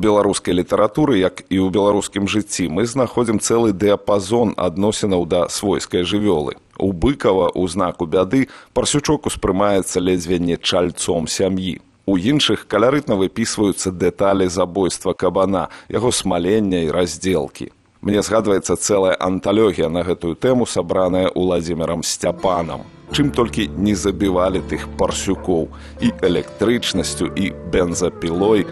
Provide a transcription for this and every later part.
беларускай літаратуры, як і ў беларускім жыцці, мы знаходзім цэлы дыяпазон адносінаў да свойскай жывёлы. У Быкава ў знаку бяды парсючок успрымаецца ледзьве не чальцом сям'і. У іншых каларытна выпісваюцца дэталі забойства кабана, яго смалення і раздзелкі. Мне згадваецца цэлая анталогія на гэтую тэму, сабраная Уладзімірам Сцяпанам. Чым толькі не забівалі тых парсюкоў і электрычнасцю, і бензапілой.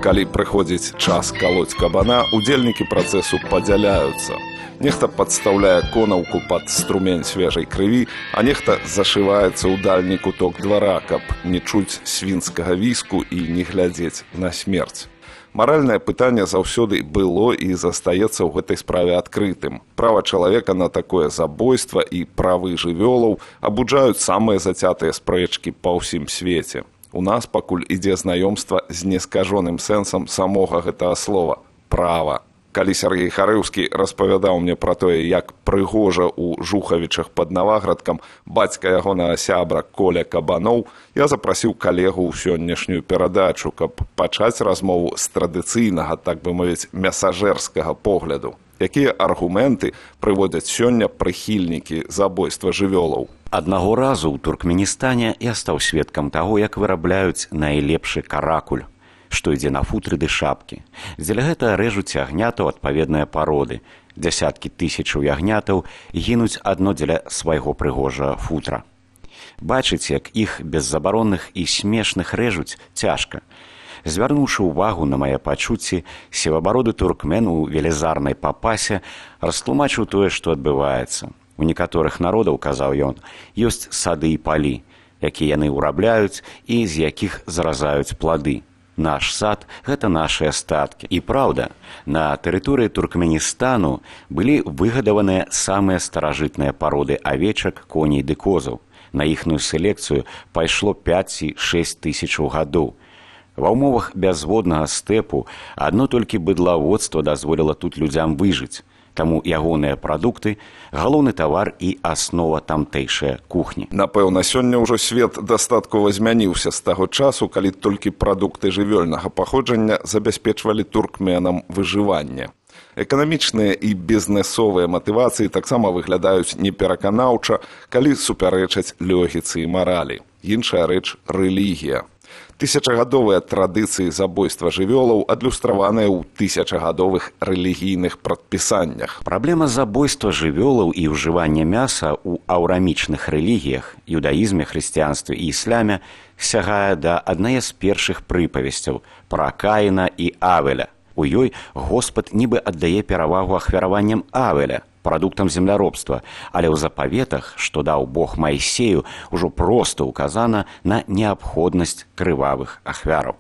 Калі прыходзіць час калоць кабана, удзельнікі працэсу падзяляюцца. Нехта падстаўляе конаўку пад струмень свежай крыві, а нехта зашываецца ў дальні куток двара, каб не чуць свінскага віску і не глядзець на смерць. Маральнае пытанне заўсёды было і застаецца ў гэтай справе адкрытым. Права чалавека на такое забойства і правы жывёлаў абуджаюць самыя зацятыя спрэчкі па ўсім свеце. У нас пакуль ідзе знаёмства з нескажоным сэнсам самога гэтага слова – права. Калі Сергей Харыўскі распавядаў мне пра тое, як прыгожа ў Жухавічах пад Наваградкам бацька ягонага сябра Коля Кабаноў, я запрасіў калегу ў сённяшнюю перадачу, каб пачаць размову з традыцыйнага, так бы мовіць, мясажэрскага погляду. Якія аргументы прыводзяць сёння прыхільнікі забойства жывёлаў? Аднаго разу ў Туркменістане я стаў сведкам таго, як вырабляюць найлепшы каракуль, што ідзе на футры ды шапкі. Дзеля гэта рэжуць ягнятаў адпаведныя пароды. Дзясяткі тысячаў ягнятаў гінуць адно дзеля свайго прыгожага футра. Бачыць, як іх беззабаронных і смешных рэжуць, цяжка. Звярнуўшы ўвагу на мае пачуцці, сівабароды туркмен у велізарнай папасе растлумачыў тое, што адбываецца. У некаторых народаў, казаў ён, ёсць сады і палі, якія яны ўрабляюць і з якіх заразаюць плады. Наш сад – гэта нашыя статкі. І праўда, на тэрыторыі Туркменістану былі выгадаваныя самыя старажытныя пароды авечак, коней ды козаў. На іхную селекцыю пайшло 5-6 тысячаў гадоў. Ва ўмовах бязводнага стэпу адно толькі быдлаводства дазволіла тут людзям выжыць. Таму ягоныя прадукты – галоўны тавар і аснова тамтэйшай кухні. Напэўна, сёння ўжо свет дастаткова змяніўся з таго часу, калі толькі прадукты жывёльнага паходжання забяспечвалі туркменам выжыванне. Эканамічныя і бізнэсовыя матывацыі таксама выглядаюць непераканаўча, калі супярэчаць логіцы і маралі. Іншая рэч – рэлігія. Тысячагадовыя традыцыі забойства жывёлаў адлюстраваныя ў тысячагадовых рэлігійных прадпісаннях. Праблема забойства жывёлаў і ўжывання мяса ў аўрамічных рэлігіях, юдаізме, хрысціянстве і ісляме сягае да аднае з першых прыпавесцяў пра Каіна і Авеля. У ёй Господ нібы аддае перавагу ахвяраванням Авеля, прадуктам земляробства, але ў запаветах, што даў Бог Майсею, ужо проста ўказана на неабходнасць крывавых ахвяраў.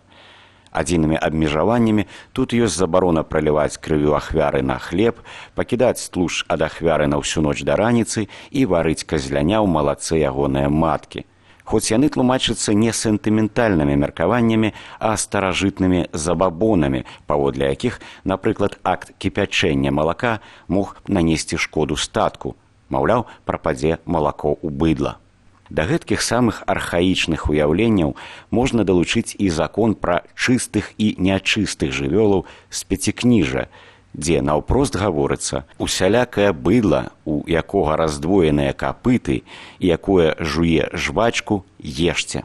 Адзінымі абмежаваннямі тут ёсць забарона праліваць крывю ахвяры на хлеб, пакідаць тлушч ад ахвяры на ўсю ноч да раніцы і варыць казляня ў малаце ягоныя маткі. Хоць яны тлумачацца не сентыментальнымі меркаваннямі, а старажытнымі забабонамі, паводле якіх, напрыклад, акт кіпячэння малака мог нанесці шкоду статку. Маўляў, прападзе малако ў быдла. Да гэткіх самых архаічных уяўленняў можна далучыць і закон пра чыстых і нячыстых жывёлаў з пяцікніжжа, дзе наўпрост гаворыцца усялякае быдла, у якога раздвоеныя капыты і якое жуе жвачку, ешце.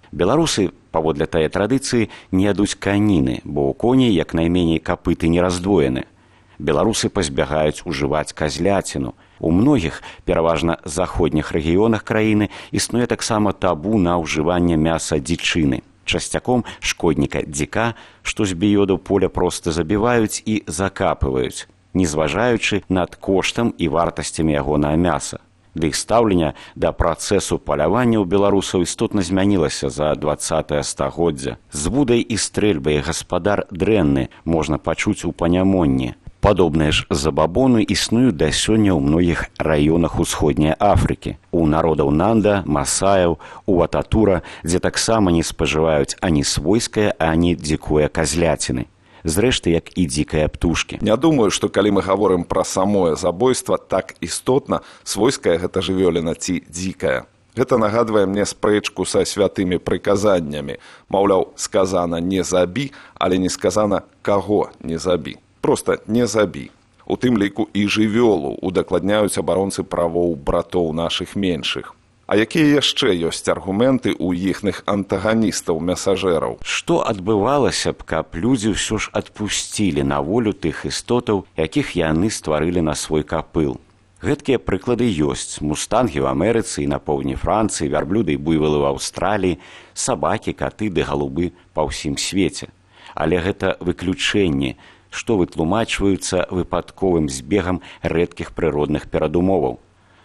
Беларусы, паводле тае традыцыі, не ядуць каніны, бо ў коней як найменей капыты не раздвоены. Беларусы пазбягаюць ужываць казляціну. У многіх, пераважна заходніх рэгіёнах краіны, існуе таксама табу на ўжыванне мяса дзічыны. Часцяком шкодніка дзіка, што з біёду поля проста забіваюць і закапываюць, не зважаючы над коштам і вартасцямі ягонага мяса. Ды і стаўленне да працэсу палявання ў беларусаў істотна змянілася за 20-е стагоддзя. З вудай і стрэльбай гаспадар дрэнны можна пачуць у панямонні. Падобныя ж забабоны існуюць да сёння ў многіх раёнах усходняй Афрыкі. У народаў Нанда, Масаяў, у Ататура, дзе таксама не спажываюць ані свойскае, ані дзікое казляціны. Зрэшты, як і дзікыя птушкі. Не думаю, што калі мы гаворым пра самое забойства, так істотна свойская гэта жывёліна ці дзікая. Гэта нагадвае мне спрэчку са святымі прыказаннямі. Маўляў, сказана не забі, але не сказана каго не забі. Проста не забі. У тым ліку і жывёлу удакладняюць абаронцы правоў братоў нашых меншых. А якія яшчэ ёсць аргументы ў іхных антаганістаў-мясажэраў? Што адбывалася б, каб людзі ўсё ж адпусцілі на волю тых істотаў, якіх яны стварылі на свой капыл? Гэткія прыклады ёсць. Мустангі ў Амерыцы і на поўдні Францыі, вярблюды і буйвалы ў Аўстраліі, сабакі, каты ды галубы па ўсім свеце. Але гэта выключэнні, што вытлумачваюцца выпадковым збегам рэдкіх прыродных перадумоваў.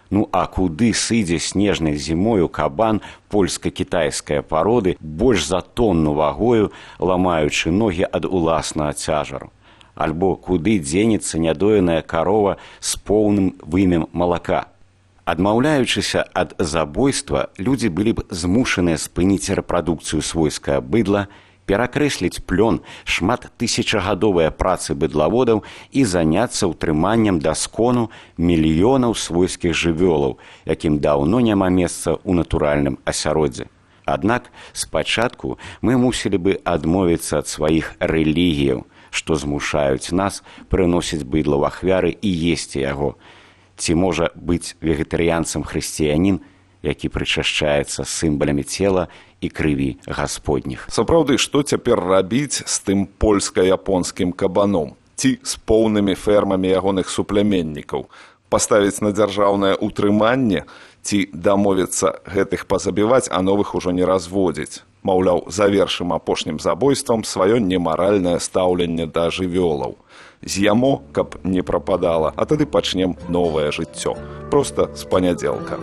Ну а куды сыдзе снежнай зімою кабан польска-кітайскай пароды больш за тонну вагою, ламаючы ногі ад уласнага цяжару? Альбо куды дзенецца нядоеная карова з поўным вымем малака? Адмаўляючыся ад забойства, людзі былі б змушаныя спыніць рэпрадукцыю свойскага быдла, перакрэсліць плён шматтысячагадовыя працы быдлаводаў і заняцца ўтрыманнем даскону мільёнаў свойскіх жывёлаў, якім даўно няма месца ў натуральным асяроддзі. Аднак спачатку мы мусілі бы адмовіцца ад сваіх рэлігіяў, што змушаюць нас прыносіць быдла ў ахвяры і есці яго. Ці можа быць вегетарыянцам хрысціянін, які прычашчаецца сімвалямі цела і крыві гасподніх. Сапраўды, што цяпер рабіць з тым польска-японскім кабаном? Ці з поўнымі фермамі ягоных супляменнікаў? Паставіць на дзяржаўнае ўтрыманне? Ці дамовіцца гэтых пазабіваць, а новых ужо не разводзіць? Маўляў, завершым апошнім забойствам сваё немаральнае стаўленне да жывёлаў. З'ямо, каб не прападала, а тады пачнем новае жыццё. Проста з панядзелка.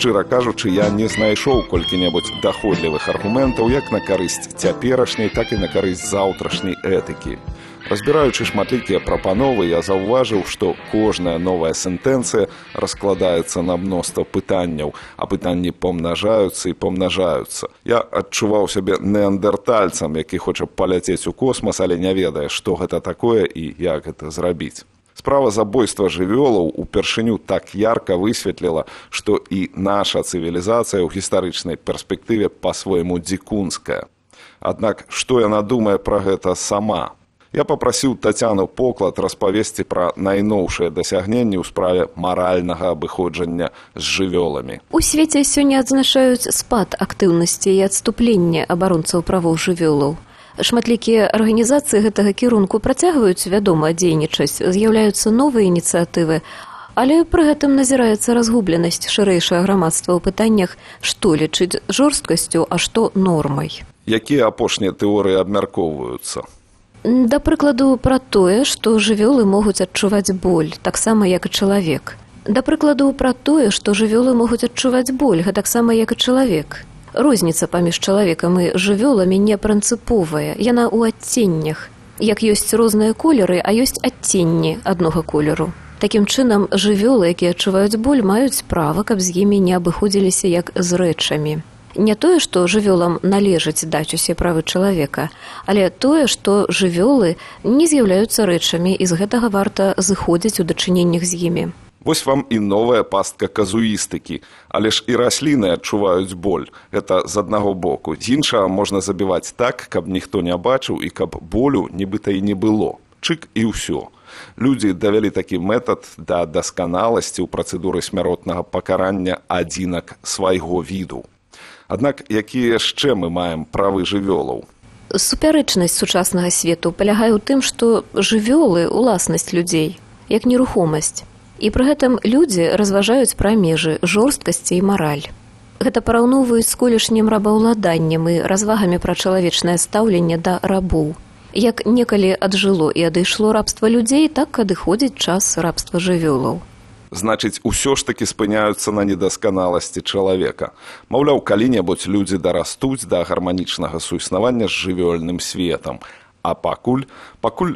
Шчыра кажучы, я не знайшоў колькі-небудзь даходлівых аргументаў як на карысць цяперашняй, так і на карысць заўтрашняй этыкі. Разбіраючы шматлікія прапановы, я заўважыў, што кожная новая сентэнцыя раскладаецца на мноства пытанняў, а пытанні помнажаюцца і помнажаюцца. Я адчуваў сябе неандертальцам, які хоча паляцець у космас, але не ведае, што гэта такое і як гэта зрабіць. Справа забойства жывёлаў упершыню так ярка высветліла, што і наша цывілізацыя ў гістарычнай перспектыве па-свойму дзікунская. Аднак, што яна думае пра гэта сама? Я папрасіў Тацяну Поклад распавесці пра найноўшыя дасягненні ў справе маральнага абыходжання з жывёламі. У свеце сёння адзначаюць спад актыўнасці і адступлення абаронцаў правоў жывёлаў. Шматлікія арганізацыі гэтага кірунку працягваюць, вядома, дзейнічаць, з'яўляюцца новыя ініцыятывы, але пры гэтым назіраецца разгубленасць шырэйшае грамадства ў пытаннях, што лічыць жорсткасцю, а што нормай. Якія апошнія тэорыі абмяркоўваюцца? Да прыкладу, пра тое, што жывёлы могуць адчуваць боль, таксама як і чалавек. Да прыкладу, пра тое, што жывёлы могуць адчуваць боль, гэтаксама як і чалавек. Розніца паміж чалавекам і жывёламі не прынцыповая, яна ў адценнях. Як ёсць розныя колеры, а ёсць адценні аднога колеру. Такім чынам, жывёлы, якія адчуваюць боль, маюць права, каб з імі не абыходзіліся як з рэчамі. Не тое, што жывёлам належыць даць усе правы чалавека, але тое, што жывёлы не з'яўляюцца рэчамі, і з гэтага варта зыходзіць у дачыненнях з імі. Вось вам і новая пастка казуістыкі, але ж і расліны адчуваюць боль. Гэта з аднаго боку. З іншага можна забіваць так, каб ніхто не бачыў і каб болю нібыта і не было. Чык і ўсё. Людзі давялі такі метад да дасканаласці ў працэдуры смяротнага пакарання адзінак свайго віду. Аднак, якія яшчэ мы маем правы жывёлаў? Супярэчнасць сучаснага свету палягае ў тым, што жывёлы – уласнасць людзей, як нерухомасць. І пры гэтым людзі разважаюць пра межы жорсткасці і мараль. Гэта параўноўваюць з колішнім рабаўладаннем і развагамі пра чалавечнае стаўленне да рабоў. Як некалі аджыло і адышло рабства людзей, так адыходзіць час рабства жывёлаў. Значыць, усё ж такі спыняюцца на недасканаласці чалавека. Маўляў, калі-небудзь людзі дарастуць да гарманічнага суіснавання з жывёльным светам. А пакуль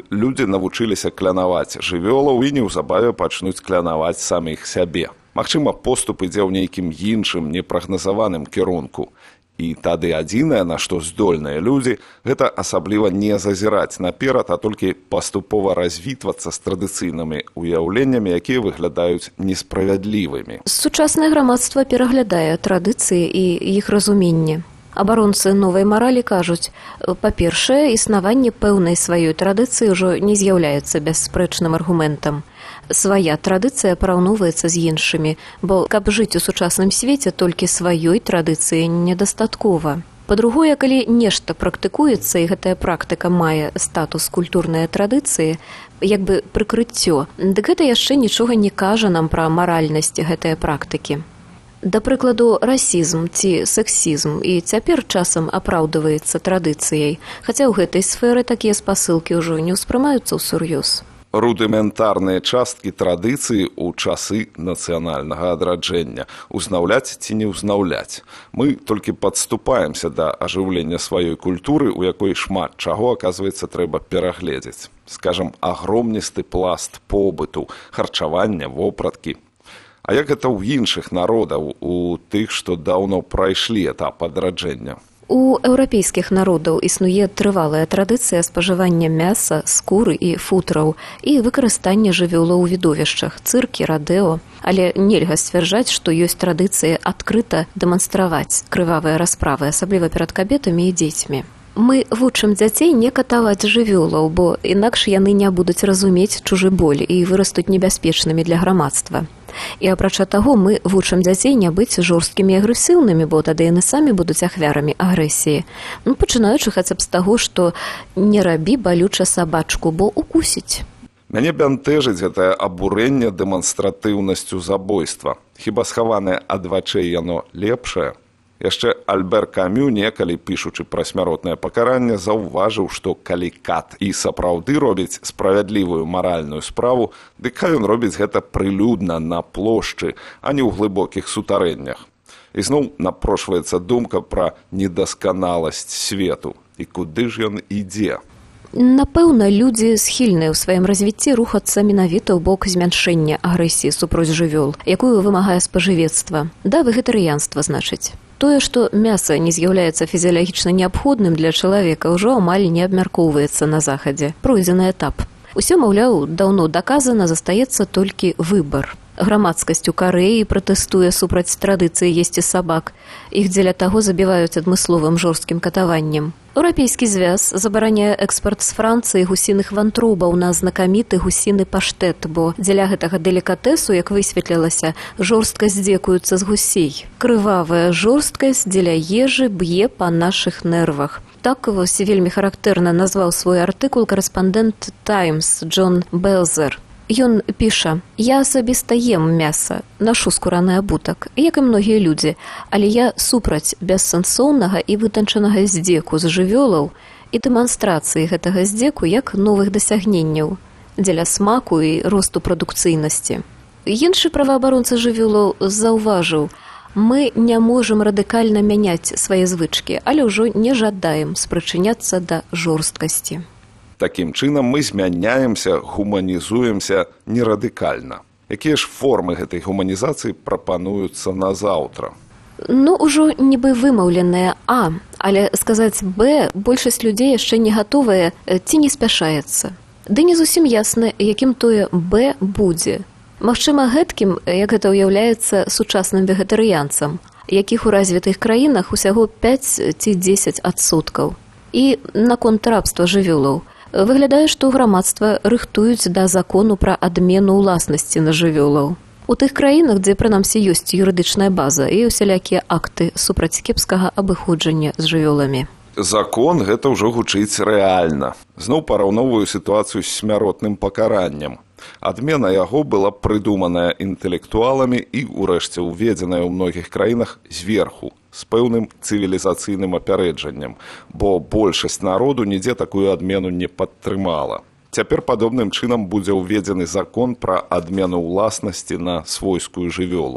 людзі навучыліся клянаваць жывёлаў і неўзабаве пачнуць клянаваць саміх сябе. Магчыма, поступ ідзе ў нейкім іншым, непрагназаваным кірунку. І тады адзінае, на што здольныя людзі, гэта асабліва не зазіраць наперад, а толькі паступова развітвацца з традыцыйнымі ўяўленнямі, якія выглядаюць несправядлівымі. Сучаснае грамадства пераглядае традыцыі і іх разуменне. Абаронцы новай маралі кажуць, па-першае, існаванне пэўнай сваёй традыцыі ўжо не з'яўляецца бясспрэчным аргументам. Свая традыцыя параўноўваецца з іншымі, бо каб жыць у сучасным свеце, толькі сваёй традыцыі недастаткова. Па-другое, калі нешта практыкуецца, і гэтая практыка мае статус культурнай традыцыі, як бы прыкрыццё, дык гэта яшчэ нічога не кажа нам пра маральнасць гэтай практыкі. Да прыкладу, расізм ці сексізм і цяпер часам апраўдваецца традыцыяй, хаця ў гэтай сферы такія спасылкі ўжо не ўспрымаюцца ўсур'ёз. Рудыментарныя часткі традыцыі ў часы нацыянальнага адраджэння. Узнаўляць ці не ўзнаўляць. Мы толькі падступаемся да ажыўлення сваёй культуры, у якой шмат чаго, аказваецца, трэба перагледзець. Скажам, агромністы пласт побыту, харчавання, вопраткі. А як гэта ў іншых народаў, у тых, што даўно прайшлі этап адраджэння? У еўрапейскіх народаў існуе трывалая традыцыя спажывання мяса, скуры і футраў і выкарыстання жывёлаў у відовішчах, цыркі, радэо. Але нельга сцвярджаць, што ёсць традыцыя адкрыта дэманстраваць крывавыя расправы, асабліва перад кабетамі і дзецьмі. Мы вучым дзяцей не катаваць жывёлаў, бо інакш яны не будуць разумець чужы боль і вырастуць небяспечнымі для грамадства. І апрача таго, мы вучым дзяцей не быць жорсткімі і агрэсіўнымі, бо тады яны самі будуць ахвярамі агрэсіі. Пачынаючы хаця б з таго, што не рабі балюча сабачку, бо укусіць. Мяне бянтэжыць гэтае абурэнне дэманстратыўнасцю забойства. Хіба схаванае ад вачэй яно лепшае? Яшчэ Альбер Камю, некалі пішучы пра смяротнае пакаранне, заўважыў, што калі кат і сапраўды робіць справядлівую маральную справу, дык хай ён робіць гэта прылюдна на плошчы, а не ў глыбокіх сутарэннях. І зноў напрошваецца думка пра недасканаласць свету. І куды ж ён ідзе? Напэўна, людзі схільныя ў сваім развіцці рухацца менавіта ў бок змяншэння агрэсіі супроць жывёл, якую вымагае спажывецтва. Да вегетарыянства, значыць. Тое, што мяса не з'яўляецца фізіялагічна неабходным для чалавека, ўжо амаль не абмяркоўваецца на захадзе. Пройдзены этап. Усё, маўляў, даўно даказана, застаецца толькі выбар. Грамадскасць у Карэі пратэстуе супраць традыцыі есці сабак. Іх дзеля таго забіваюць адмысловым жорсткім катаваннем. Еўрапейскі звяз забараняе экспарт з Францыі гусіных вантробаў на знакаміты гусіны паштет, бо дзеля гэтага делікатэсу, як высветлілася, жорстка здзекуюцца з гусей. Крывавая жорсткасць дзеля ежы б'е па нашых нервах. Так вось вельмі характэрна назваў свой артыкул карэспандэнт «Таймс» Джон Белзер. Ён піша: «Я асабіста ем мяса, нашу скураны абутак, як і многія людзі, але я супраць бессэнсоўнага і вытанчанага здзеку з жывёлаў і дэманстрацыі гэтага здзеку як новых дасягненняў дзеля смаку і росту прадукцыйнасці». Іншы праваабаронца жывёлаў заўважыў: «Мы не можам радыкальна мяняць свае звычкі, але ўжо не жадаем спрычыняцца да жорсткасці». Такім чынам мы змяняемся, гуманізуемся нерадыкальна. Якія ж формы гэтай гуманізацыі прапануюцца на заўтра? Ужо нібы вымаўленае «А», але сказаць «Б» большасць людзей яшчэ не гатовая ці не спяшаецца. Ды не зусім ясна, якім тое «Б» будзе. Магчыма, гэткім, як гэта ўяўляецца сучасным вегетарыянцам, якіх у развітых краінах усяго 5 ці 10%. І наконт рабства жывёлаў. Выглядае, што грамадства рыхтуюць да закону пра адмену ўласнасці на жывёлаў. У тых краінах, дзе прынамсі ёсць юрыдычная база і усялякія акты супраць кепскага абыходжання з жывёламі. Закон гэта ўжо гучыць рэальна. Зноў параўноўваю сітуацыю з смяротным пакараннем. Адмена яго была прыдуманая інтэлектуаламі і, урэшце, уведзеная ў многіх краінах зверху, з пэўным цывілізацыйным апярэджаннем, бо большасць народу нідзе такую адмену не падтрымала. Цяпер падобным чынам будзе ўведзены закон пра адмену ўласнасці на свойскую жывёлу.